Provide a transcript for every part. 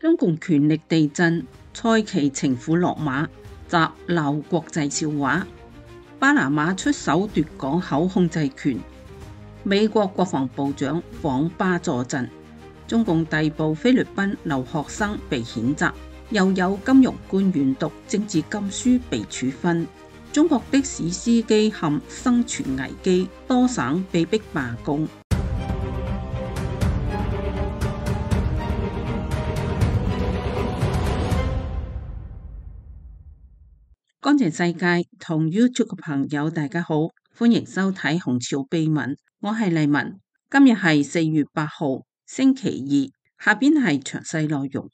中共權力地震，蔡奇情婦落馬，習鬧國際笑話。巴拿馬出手奪港口控制權，美國國防部長訪巴助陣，中共逮捕菲律賓留學生被譴責，又有金融官員讀政治禁書被處分。中國的士司機陷生存危機，多省被逼罷工。乾淨世界同 YouTube 嘅朋友大家好，歡迎收睇紅潮秘聞，我係麗文。今日係4月8號星期二，下邊係詳細內容。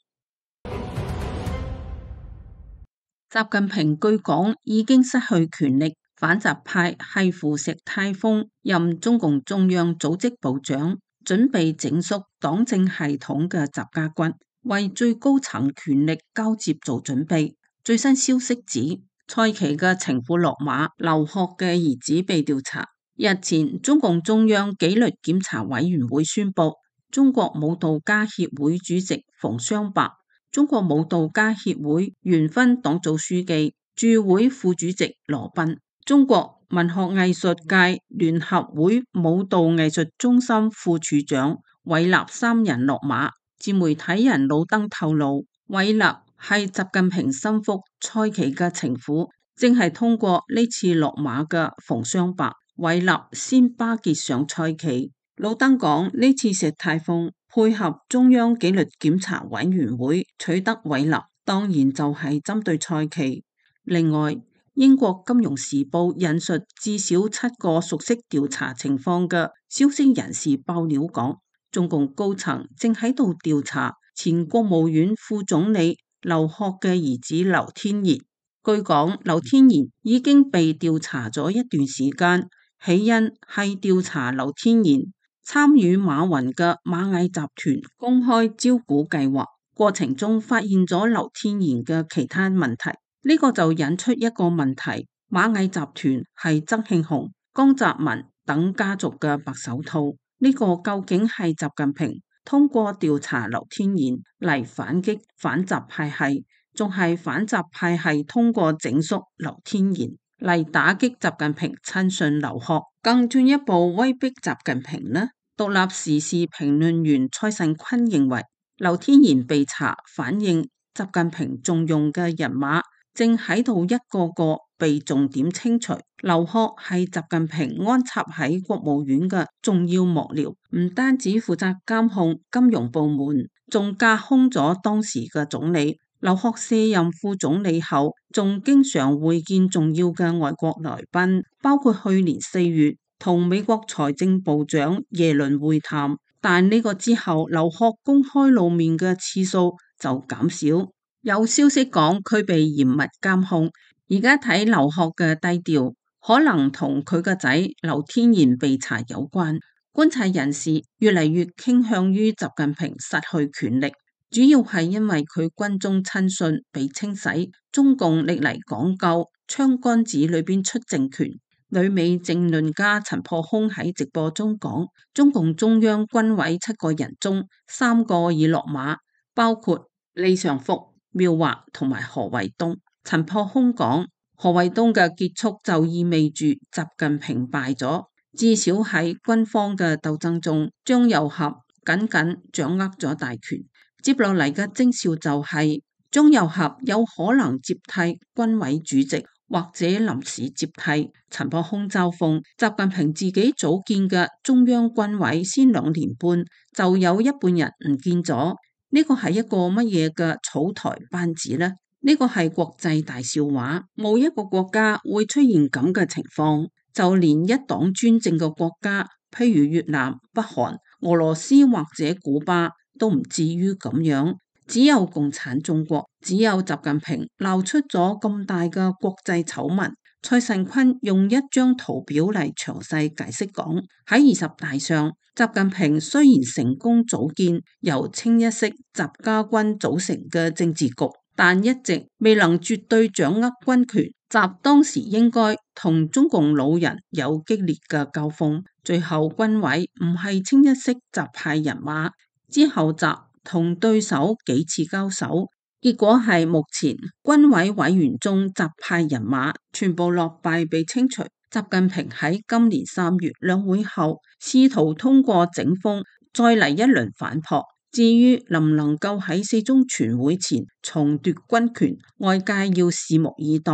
習近平據講已經失去權力，反習派係扶石泰峰任中共中央組織部長，準備整肅黨政系統嘅習家軍，為最高層權力交接做準備。最新消息指，蔡奇嘅情婦落馬，劉鶴嘅兒子被調查。日前，中共中央紀律檢查委員會宣布，中國舞蹈家協會主席馮雙白、中國舞蹈家協會原分黨組書記、駐會副主席羅賓、中國文學藝術界聯合會舞蹈藝術中心副處長韋納三人落馬。自媒體人老登透露，韋納係習近平心腹蔡奇嘅情婦，正係通過呢次落馬嘅馮雙白、韋納先巴結上蔡奇。老登講，呢次石泰峰配合中央紀律檢查委員會取得韋納，當然就係針對蔡奇。另外，英國金融時報引述至少7個熟悉調查情況嘅消息人士爆料講，中共高層正喺度調查前國務院副總理劉鶴嘅兒子劉天賢。據講，劉天賢已經被調查咗一段時間，起因係調查劉天賢參與馬雲嘅螞蟻集團公開招股計劃過程中，發現咗劉天賢嘅其他問題。呢個就引出一個問題：螞蟻集團係曾慶紅、江澤民等家族嘅白手套，呢個究竟係習近平通過調查劉天賢嚟反擊反習派系，仲係反習派系通過整肅劉天賢嚟打擊習近平親信劉鶴，更進一步威逼習近平呢？獨立時事評論員蔡慎坤認為，劉天賢被查，反映習近平重用嘅人馬正喺度一個個被重點清除。劉鶴係習近平安插喺國務院嘅重要幕僚，唔單止負責監控金融部門，仲架空咗當時嘅總理。劉鶴卸任副總理後，仲經常會見重要嘅外國來賓，包括去年4月同美國財政部長耶倫會談。但呢個之後，劉鶴公開露面嘅次數就減少。有消息講佢被嚴密監控，而家睇劉鶴嘅低調，可能同佢個仔劉天賢被查有關。觀察人士越嚟越傾向於習近平失去權力，主要係因為佢軍中親信被清洗。中共歷嚟講究槍桿子裏邊出政權。旅美政論家陳破空喺直播中講，中共中央軍委7個人中3個已落馬，包括李尚福、繆華同埋何衛東。陳破空講，何衛東嘅結束就意味住習近平敗咗，至少喺軍方嘅鬥爭中，張又俠緊緊掌握咗大權。接落嚟嘅徵兆就係張又俠有可能接替軍委主席，或者臨時接替。陳破空嘲諷，習近平自己組建嘅中央軍委先2年半就有一半人唔見咗，呢個係一個乜嘢嘅草台班子呢？呢個係國際大笑話，冇一個國家會出現咁嘅情況，就連一黨專政嘅國家，譬如越南、北韓、俄羅斯或者古巴都唔至於咁樣。只有共產中國，只有習近平鬧出咗咁大嘅國際醜聞。蔡慎坤用一張圖表嚟詳細解釋講，喺20大上，習近平雖然成功組建由清一色習家軍組成嘅政治局，但一直未能絕對掌握軍權。習當時應該同中共老人有激烈嘅交鋒，最後軍委唔係清一色習派人馬。之後習同對手幾次交手，結果係目前軍委委員中習派人馬全部落敗被清除。習近平喺今年3月兩會後，試圖通過整風再嚟一輪反撲。至於能唔能夠喺4中全會前重奪軍權，外界要拭目以待。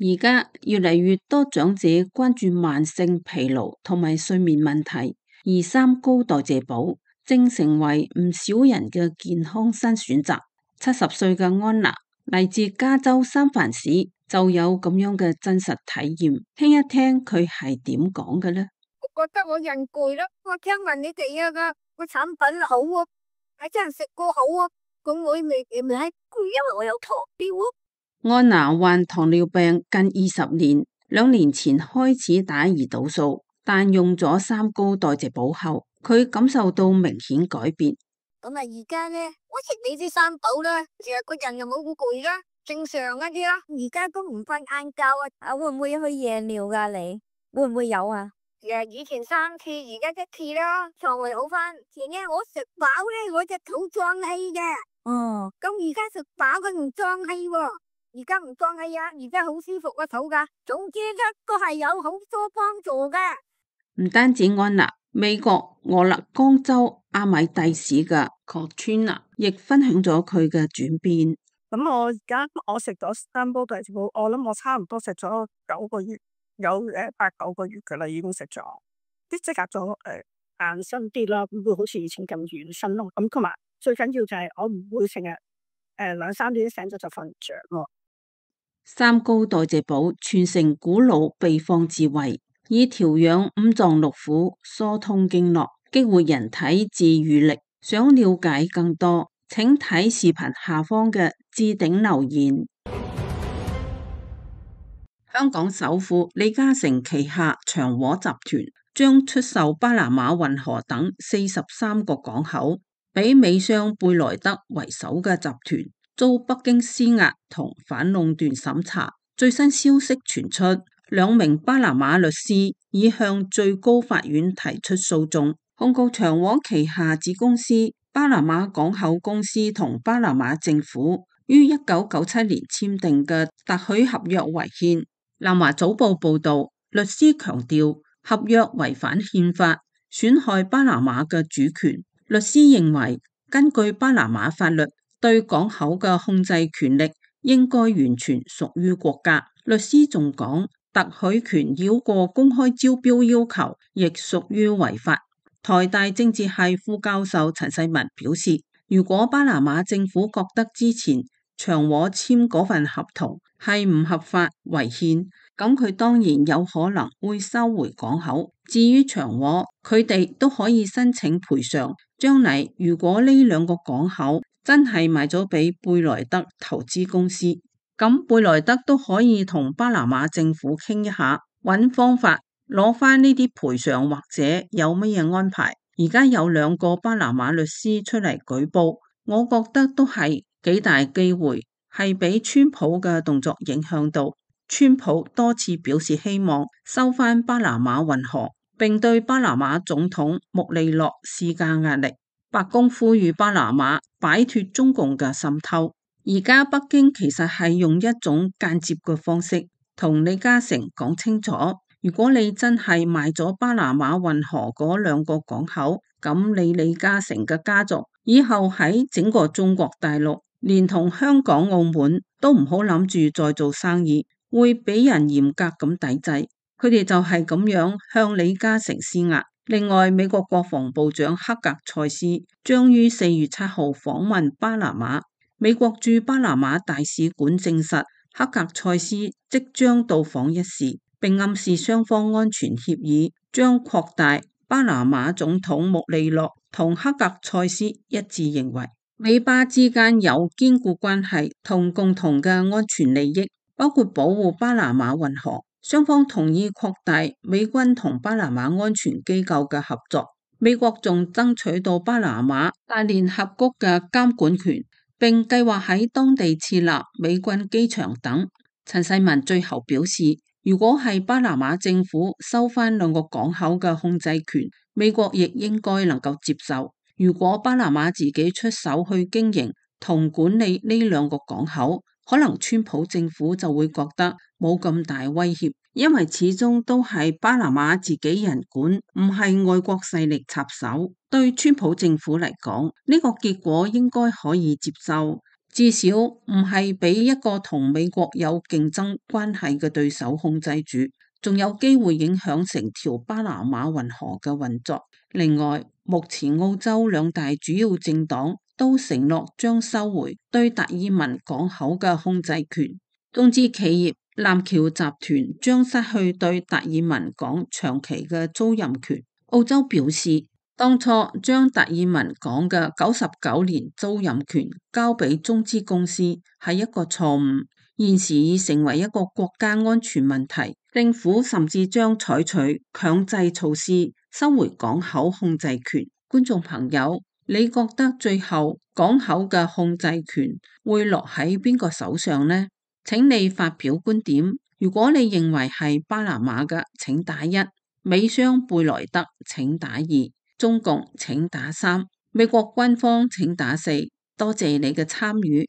而家越嚟越多長者關注慢性疲勞同埋睡眠問題，而三高代謝寶正成為唔少人嘅健康新選擇。70歲嘅安娜嚟自加州三藩市，就有咁樣嘅真實體驗，聽一聽佢係點講嘅呢？我覺得我人攰啦，我聽聞你哋個產品好啊，係真係食過好啊，咁我未攰，因為我有糖尿啊。安娜患糖尿病近20年，2年前開始打胰島素，但用咗三高代謝寶後，佢感受到明顯改變。咁啊，而家呢，我食你啲三寶啦，成日個人又冇咁攰啦，正常一啲啦。而家都唔瞓晏覺啊，會唔會去夜尿噶？你會唔會有啊？以前3次，而家1次啦，腸胃好翻。前呢我食飽咧，我隻肚脹氣嘅。哦，咁而家食飽佢唔脹氣喎，而家唔脹氣啊，而家好舒服個肚噶。總之都係有好多幫助嘅。唔單止安娜，美國俄勒岡州阿米蒂市嘅 Katrina 亦分享咗佢嘅轉變。咁我食咗三煲代謝寶，我諗我差唔多食咗9個月。有8、9個月噶啦，已經食咗，啲即刻咗硬身啲啦，唔會好似以前咁軟身咯。咁同埋最緊要就係我唔會成日2、3點醒咗就瞓唔着咯。三高代謝寶傳承古老秘方智慧，以調養五臟六腑、疏通經絡、激活人體自癒力。想了解更多，請睇視頻下方嘅置頂留言。香港首富李嘉誠旗下長和集團將出售巴拿馬運河等43個港口，俾美商貝萊德為首嘅集團，遭北京施壓同反壟斷審查。最新消息傳出，2名巴拿馬律師已向最高法院提出訴訟，控告長和旗下子公司巴拿馬港口公司同巴拿馬政府於1997年簽訂嘅特許合約違憲。南華早報報道，律師強調合約違反憲法，損害巴拿馬嘅主權。律師認為，根據巴拿馬法律，對港口嘅控制權力應該完全屬於國家。律師仲講，特許權繞過公開招標要求，亦屬於違法。台大政治系副教授陳世文表示，如果巴拿馬政府覺得之前長和簽嗰份合同係唔合法違憲，咁佢當然有可能會收回港口。至於長和，佢哋都可以申請賠償。將來如果呢2個港口真係賣咗俾貝萊德投資公司，咁貝萊德都可以同巴拿馬政府傾一下，揾方法攞翻呢啲賠償，或者有乜嘢安排。而家有2個巴拿馬律師出嚟舉報，我覺得都係幾大機會係俾川普嘅動作影響到。川普多次表示希望收返巴拿馬運河，並對巴拿馬總統穆利諾施加壓力。白宮呼籲巴拿馬擺脫中共嘅滲透。而家北京其實係用一種間接嘅方式同李嘉誠講清楚，如果你真係賣咗巴拿馬運河嗰2個港口，咁你李嘉誠嘅家族以後喺整個中國大陸，連同香港、澳門都唔好諗住再做生意，會俾人嚴格咁抵制。佢哋就係咁樣向李嘉誠施壓。另外，美國國防部長克格塞斯將於4月7號訪問巴拿馬。美國駐巴拿馬大使館證實，克格塞斯即將到訪一事，並暗示雙方安全協議將擴大。巴拿馬總統穆利諾同克格塞斯一致認為，美巴之間有堅固關係同共同嘅安全利益，包括保護巴拿馬運河。雙方同意擴大美軍同巴拿馬安全機構嘅合作。美國仲爭取到巴拿馬大聯合國嘅監管權，並計劃喺當地設立美軍機場等。陳世文最後表示，如果係巴拿馬政府收返2個港口嘅控制權，美國亦應該能夠接受。如果巴拿馬自己出手去經營同管理呢兩個港口，可能川普政府就會覺得冇咁大威脅，因為始終都係巴拿馬自己人管，唔係外國勢力插手。對川普政府嚟講，呢個結果應該可以接受，至少唔係俾一個同美國有競爭關係嘅對手控制住，仲有機會影響成條巴拿馬運河嘅運作。另外，目前澳洲兩大主要政黨都承諾將收回對達爾文港口嘅控制權，中資企業南橋集團將失去對達爾文港長期嘅租賃權。澳洲表示，當初將達爾文港嘅99年租賃權交俾中資公司係一個錯誤，現時已成為一個國家安全問題，政府甚至將採取強制措施收回港口控制權。觀眾朋友，你覺得最後港口嘅控制權會落喺邊個手上呢？請你發表觀點。如果你認為係巴拿馬嘅，請打1；美商貝萊德請打2；中共請打3；美國軍方請打4。多謝你嘅參與。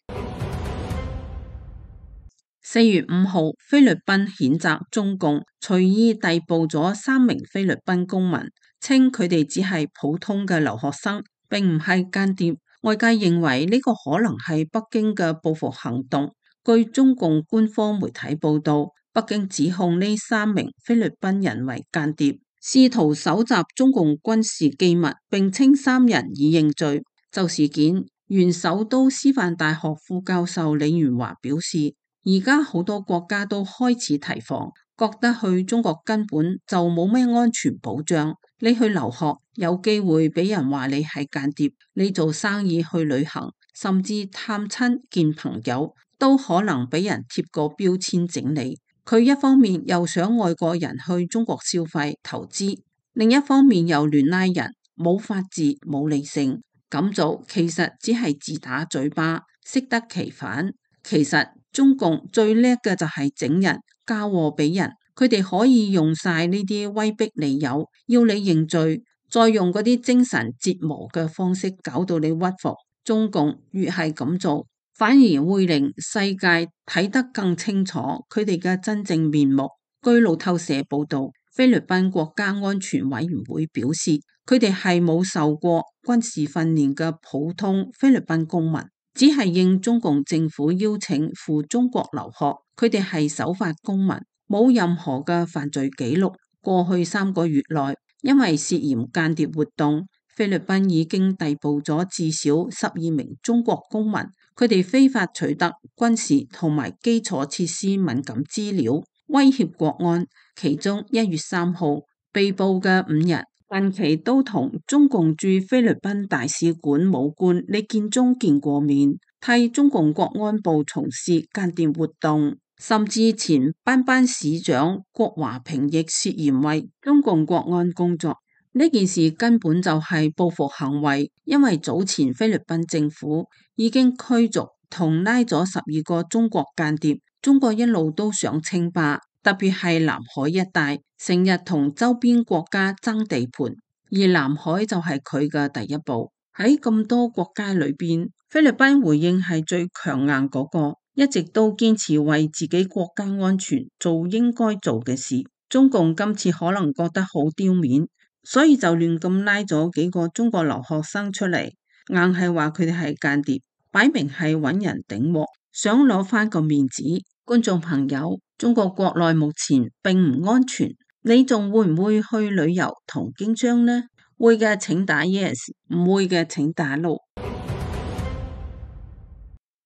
4月5號，菲律賓譴責中共隨意逮捕咗3名菲律賓公民，稱佢哋只係普通嘅留學生，並唔係間諜。外界認為呢個可能係北京嘅報復行動。據中共官方媒體報道，北京指控呢3名菲律賓人為間諜，試圖搜集中共軍事機密，並稱3人已認罪。就事件，原首都師範大學副教授李元華表示，而家好多國家都開始提防，覺得去中國根本就冇咩安全保障。你去留學有機會俾人話你係間諜，你做生意去旅行，甚至探親見朋友，都可能俾人貼個標籤整你。佢一方面又想外國人去中國消費投資，另一方面又亂拉人，冇法治冇理性。咁做其實只係自打嘴巴，適得其反。其實中共最叻嘅就係整人，交禍俾人。佢哋可以用晒呢啲威逼利誘，要你認罪，再用嗰啲精神折磨嘅方式搞到你屈服。中共越係咁做，反而會令世界睇得更清楚佢哋嘅真正面目。據路透社報道，菲律賓國家安全委員會表示，佢哋係冇受過軍事訓練嘅普通菲律賓公民，只係應中共政府邀請赴中國留學。佢哋係守法公民，冇任何嘅犯罪記錄。過去3個月內，因為涉嫌間諜活動，菲律賓已經逮捕咗至少12名中國公民。佢哋非法取得軍事同埋基礎設施敏感資料，威脅國安。其中1月3號被捕嘅5人，近期都同中共駐菲律賓大使館武官李建忠見過面，替中共國安部從事間諜活動。甚至前班班市長郭華平亦涉嫌為中共國安工作。呢件事根本就係報復行為，因為早前菲律賓政府已經驅逐同拉咗12個中國間諜。中國一路都想稱霸，特別係南海一帶，成日同周邊國家爭地盤，而南海就係佢嘅第一步。喺咁多國家裏邊，菲律賓回應係最強硬嗰個，一直都堅持為自己國家安全做應該做嘅事。中共今次可能覺得好丟面，所以就亂咁拉咗幾個中國留學生出嚟，硬係話佢哋係間諜，擺明係揾人頂鑊，想攞翻個面子。觀眾朋友，中國國內目前並唔安全，你仲會唔會去旅遊同經商呢？會嘅請打 yes， 唔會嘅請打 no。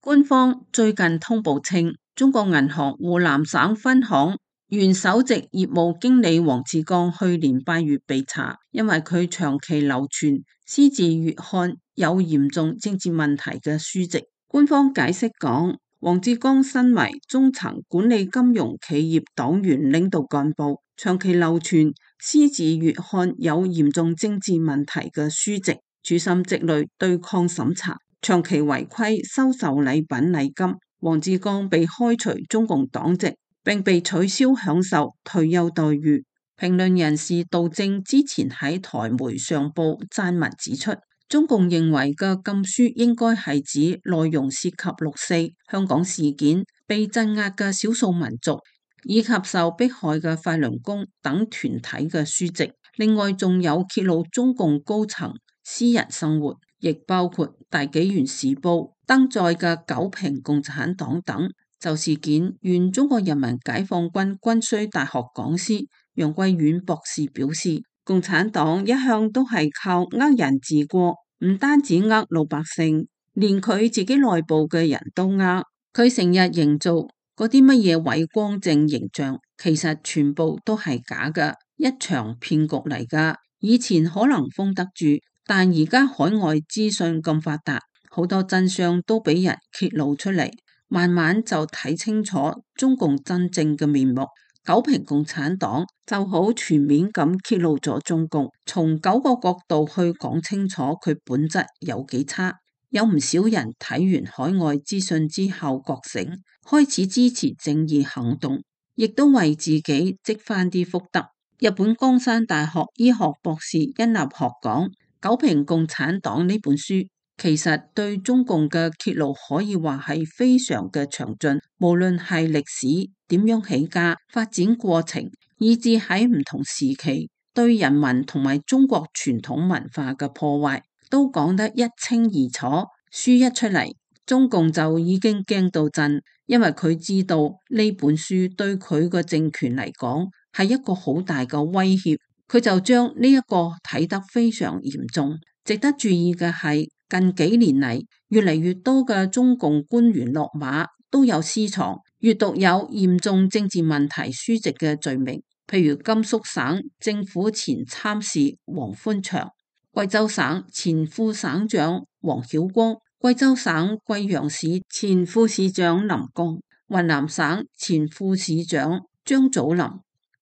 官方最近通報稱，中國銀行湖南省分行原首席業務經理黃志剛去年8月被查，因為佢長期流傳《獅子月刊》有嚴重政治問題嘅書籍。官方解釋講，黃志剛身為中層管理金融企業黨員領導幹部，長期流傳《獅子月刊》有嚴重政治問題嘅書籍，處心積慮對抗審查，長期違規收受禮品禮金。黃志剛被開除中共黨籍，並被取消享受退休待遇。評論人士杜正之前喺台媒上報撰文指出，中共認為嘅禁書應該係指內容涉及六四、香港事件、被鎮壓嘅少數民族以及受迫害嘅法輪功等團體嘅書籍。另外仲有揭露中共高層私人生活，亦包括大紀元時報登載嘅九評共產黨等。就事件，原中國人民解放軍軍需大學講師楊貴遠博士表示，共產黨一向都係靠呃人治國，唔單止呃老百姓，連佢自己內部嘅人都呃。佢成日營造嗰啲乜嘢偉光正形象，其實全部都係假嘅，一場騙局嚟噶。以前可能封得住，但而家海外資訊咁發達，好多真相都俾人揭露出嚟。慢慢就睇清楚中共真正嘅面目。九評共產黨就好全面咁揭露咗中共，從9個角度去講清楚佢本質有幾差。有唔少人睇完海外資訊之後覺醒，開始支持正義行動，亦都為自己積翻啲福德。日本江山大學醫學博士殷立學講，九評共產黨呢本書其實對中共嘅揭露可以話係非常嘅詳盡，無論係歷史點樣起家、發展過程，以至喺唔同時期對人民同埋中國傳統文化嘅破壞，都講得一清二楚。書一出嚟，中共就已經驚到震，因為佢知道呢本書對佢個政權嚟講係一個好大嘅威脅，佢就將呢一個睇得非常嚴重。值得注意嘅係，近幾年嚟，越嚟越多嘅中共官員落馬，都有私藏閱讀有嚴重政治問題書籍嘅罪名，譬如甘肅省政府前參事黃寬祥、貴州省前副省長黃曉光、貴州省貴陽市前副市長林剛、雲南省前副市長張祖林、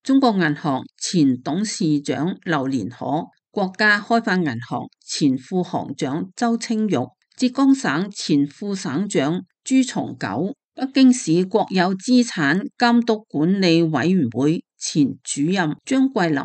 中國銀行前董事長劉連可、國家開發銀行前副行長周清玉、浙江省前副省長朱松九、北京市國有資產監督管理委員會前主任張桂林、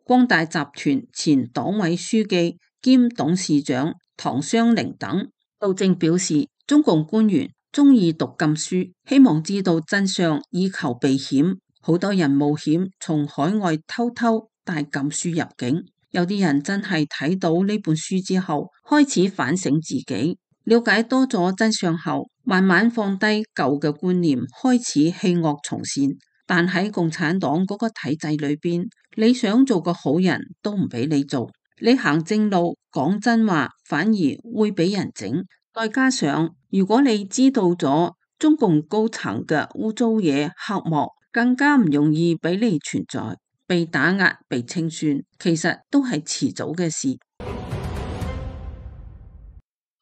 光大集團前黨委書記兼董事長唐湘玲等。杜正表示，中共官員中意讀禁書，希望知道真相以求避險，好多人冒險從海外偷偷帶禁書入境。有啲人真係睇到呢本書之後，開始反省自己，了解多咗真相後，慢慢放低舊嘅觀念，開始棄惡從善。但喺共產黨嗰個體制裏邊，你想做個好人都唔俾你做，你行正路講真話反而會俾人整。再加上如果你知道咗中共高層嘅污糟嘢黑幕，更加唔容易俾你存在。被打壓、被清算，其實都係遲早嘅事。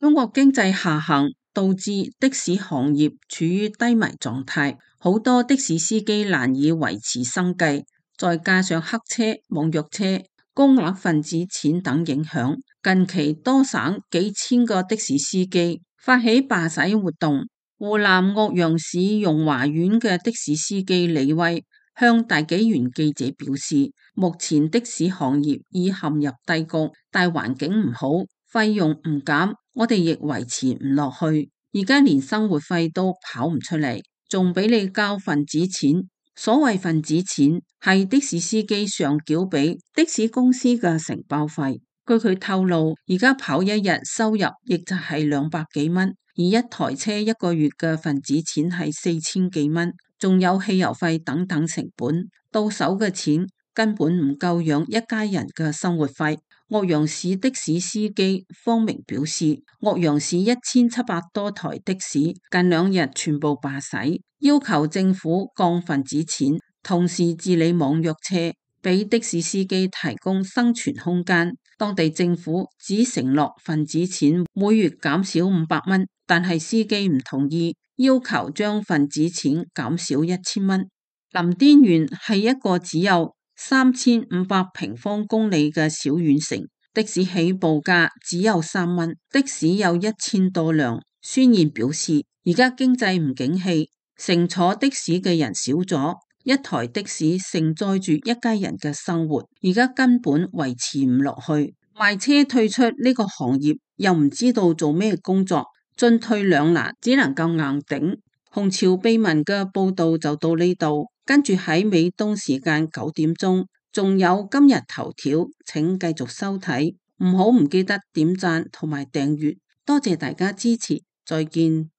中國經濟下行導致的士行業處於低迷狀態，好多的士司機難以維持生計，再加上黑車、網約車、高額份子錢等影響，近期多省幾千個的士司機發起罷駛活動。湖南岳陽市容華縣嘅的士司機李威向大紀元記者表示，目前的士行業已陷入低谷，大環境唔好，費用唔減，我哋亦維持唔落去。而家連生活費都跑唔出嚟，仲俾你交份子錢。所謂份子錢係的士司機上繳俾的士公司嘅承包費。據佢透露，而家跑一日收入亦就係200幾蚊，而一台車一個月嘅份子錢係4000幾蚊。仲有汽油費等等成本，到手嘅錢根本唔夠養一家人嘅生活費。岳陽市的士司機方明表示，岳陽市1700多台的士近2日全部罷駛，要求政府降份子錢，同時治理網約車，俾的士司機提供生存空間。當地政府只承諾份子錢每月減少500蚊，但係司機唔同意，要求將份子錢減少1000蚊。林甸縣係一個只有3500平方公里嘅小縣城，的士起步價只有3蚊，的士有1000多輛。宣言表示，而家經濟唔景氣，乘坐的士嘅人少咗，一台的士承載住一家人嘅生活，而家根本維持唔落去。賣車退出呢個行業，又唔知道做咩工作，進退兩難，只能夠硬頂。紅潮秘聞嘅報道就到呢度，跟住喺美東時間9點鐘，仲有今日頭條，請繼續收睇，唔記得點讚同埋訂閱，多謝大家支持，再見。